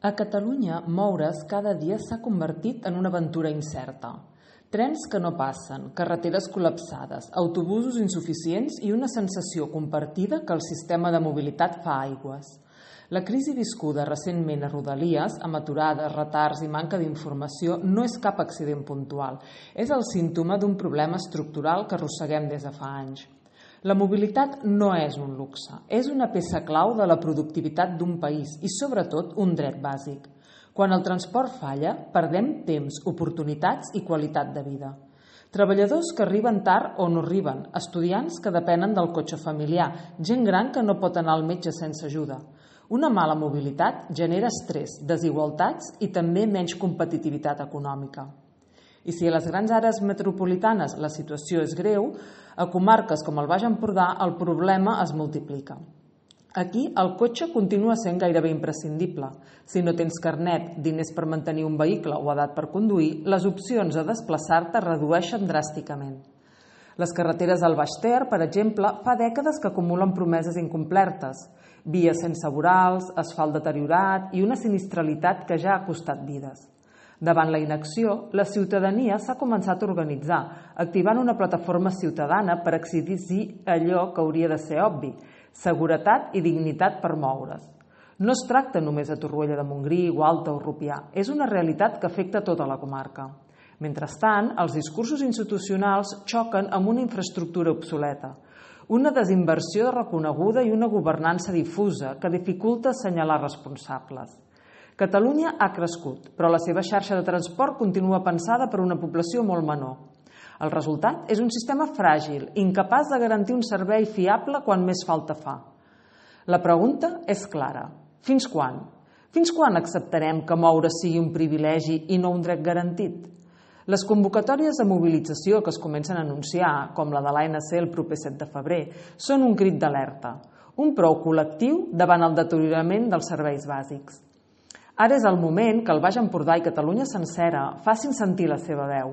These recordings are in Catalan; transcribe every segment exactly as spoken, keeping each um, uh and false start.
A Catalunya, moure's cada dia s'ha convertit en una aventura incerta. Trens que no passen, carreteres col·lapsades, autobusos insuficients i una sensació compartida que el sistema de mobilitat fa aigües. La crisi viscuda recentment a Rodalies, amb aturades, retards i manca d'informació, no és cap accident puntual. És el símptoma d'un problema estructural que arrosseguem des de fa anys. La mobilitat no és un luxe, és una peça clau de la productivitat d'un país i, sobretot, un dret bàsic. Quan el transport falla, perdem temps, oportunitats i qualitat de vida. Treballadors que arriben tard o no arriben, estudiants que depenen del cotxe familiar, gent gran que no pot anar al metge sense ajuda. Una mala mobilitat genera estrès, desigualtats i també menys competitivitat econòmica. I si a les grans àrees metropolitanes la situació és greu, a comarques com el Baix Empordà el problema es multiplica. Aquí el cotxe continua sent gairebé imprescindible. Si no tens carnet, diners per mantenir un vehicle o edat per conduir, les opcions a desplaçar-te redueixen dràsticament. Les carreteres del Baix Ter, per exemple, fa dècades que acumulen promeses incomplertes, vies sense vorals, asfalt deteriorat i una sinistralitat que ja ha costat vides. Davant la inacció, la ciutadania s'ha començat a organitzar, activant una plataforma ciutadana per exigir allò que hauria de ser obvi, seguretat i dignitat per moure's. No es tracta només de Torroella de Montgrí, Gualta o Rupià, és una realitat que afecta tota la comarca. Mentrestant, els discursos institucionals xoquen amb una infraestructura obsoleta, una desinversió reconeguda i una governança difusa que dificulta assenyalar responsables. Catalunya ha crescut, però la seva xarxa de transport continua pensada per una població molt menor. El resultat és un sistema fràgil, incapaç de garantir un servei fiable quan més falta fa. La pregunta és clara. Fins quan? Fins quan acceptarem que moure sigui un privilegi i no un dret garantit? Les convocatòries de mobilització que es comencen a anunciar, com la de l'A N C el proper set de febrer, són un crit d'alerta, un prou col·lectiu davant el deteriorament dels serveis bàsics. Ara és el moment que el Baix Empordà i Catalunya sencera facin sentir la seva veu,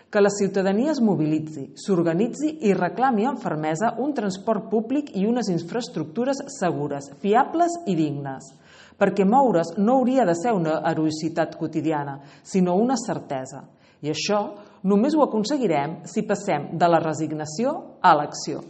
que la ciutadania es mobilitzi, s'organitzi i reclami amb fermesa un transport públic i unes infraestructures segures, fiables i dignes, perquè moure's no hauria de ser una heroïcitat quotidiana, sinó una certesa. I això només ho aconseguirem si passem de la resignació a l'acció.